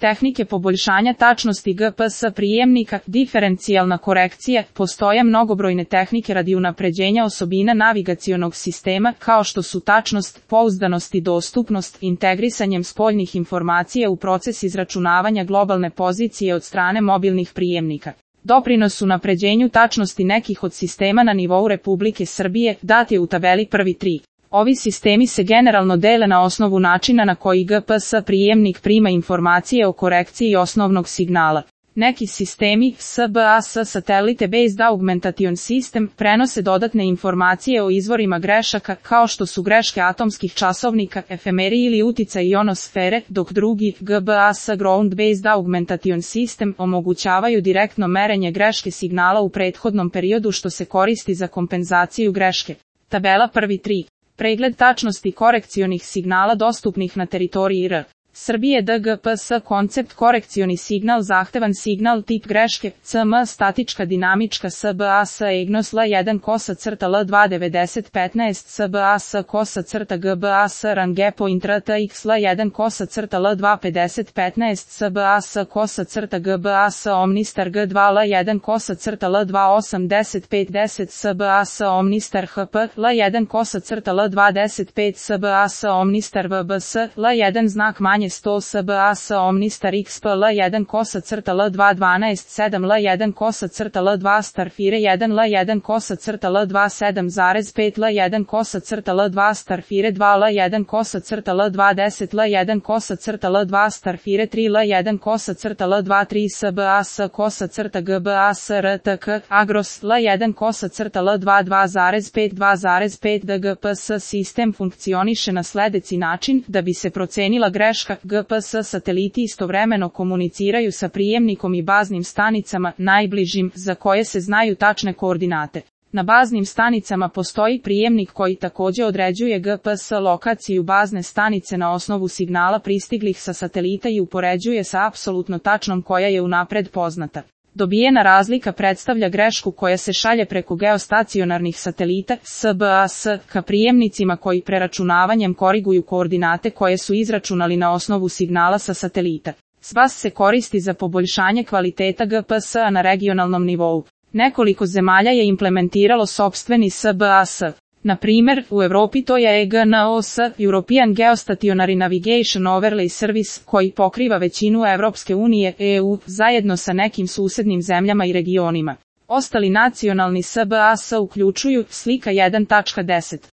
Tehnike poboljšanja tačnosti GPS prijemnika, diferencijalna korekcija, postoje mnogobrojne tehnike radi unapređenja osobina navigacionog sistema, kao što su tačnost, pouzdanost i dostupnost, integrisanjem spoljnih informacija u proces izračunavanja globalne pozicije od strane mobilnih prijemnika. Doprinos unapređenju tačnosti nekih od sistema na nivou Republike Srbije dat je u tabeli prvi 3. Ovi sistemi se generalno dele na osnovu načina na koji GPS prijemnik prima informacije o korekciji osnovnog signala. Neki sistemi, SBS Satellite Based Augmentation System, prenose dodatne informacije o izvorima grešaka, kao što su greške atomskih časovnika, efemeri ili uticaj ionosfere, dok drugi, GBAS Ground Based Augmentation System, omogućavaju direktno merenje greške signala u prethodnom periodu što se koristi za kompenzaciju greške. Tabela prvi 3. Pregled tačnosti korekcionih signala dostupnih na teritoriji R. Srbije DGPS koncept korekcioni signal zahtevan signal tip greške, CM statička dinamička SBS EGNOS L1 kosa crta L2 9015 SBS kosa crta GBAS Range Point RTX L1 kosa crta L2 5015 SBS kosa crta GBAS Omnistar G2 L1 kosa crta L2 8050 SBS Omnistar HP L1 kosa crta L2 105 SBS Omnistar VBS L1 znak manje 100 SBS Omnistar XP L1 kosa crta L2 12 7 L1 kosa crta L2 Starfire 1 L1 kosa crta L2 7,5 L1 kosa crta L2 Starfire 2 L1 kosa crta L2 10 L1 kosa crta L2 Starfire 3 L1 kosa crta L2 3 SBS kosa crta GBAS RTK Agros L1 kosa crta L2 2,5 2,5 DGPS sistem funkcioniše na sledeći način da bi se procenila greška. GPS sateliti istovremeno komuniciraju sa prijemnikom i baznim stanicama, najbližim, za koje se znaju tačne koordinate. Na baznim stanicama postoji prijemnik koji takođe određuje GPS lokaciju bazne stanice na osnovu signala pristiglih sa satelita i upoređuje sa apsolutno tačnom koja je unapred poznata. Dobijena razlika predstavlja grešku koja se šalje preko geostacionarnih satelita, SBS, ka prijemnicima koji preračunavanjem koriguju koordinate koje su izračunali na osnovu signala sa satelita. SBS se koristi za poboljšanje kvaliteta GPS-a na regionalnom nivou. Nekoliko zemalja je implementiralo sopstveni SBS. Na primer, u Evropi to je EGNOS, European Geostationary Navigation Overlay Service, koji pokriva većinu Evropske unije, EU, zajedno sa nekim susednim zemljama i regionima. Ostali nacionalni SBS uključuju slika 1.10.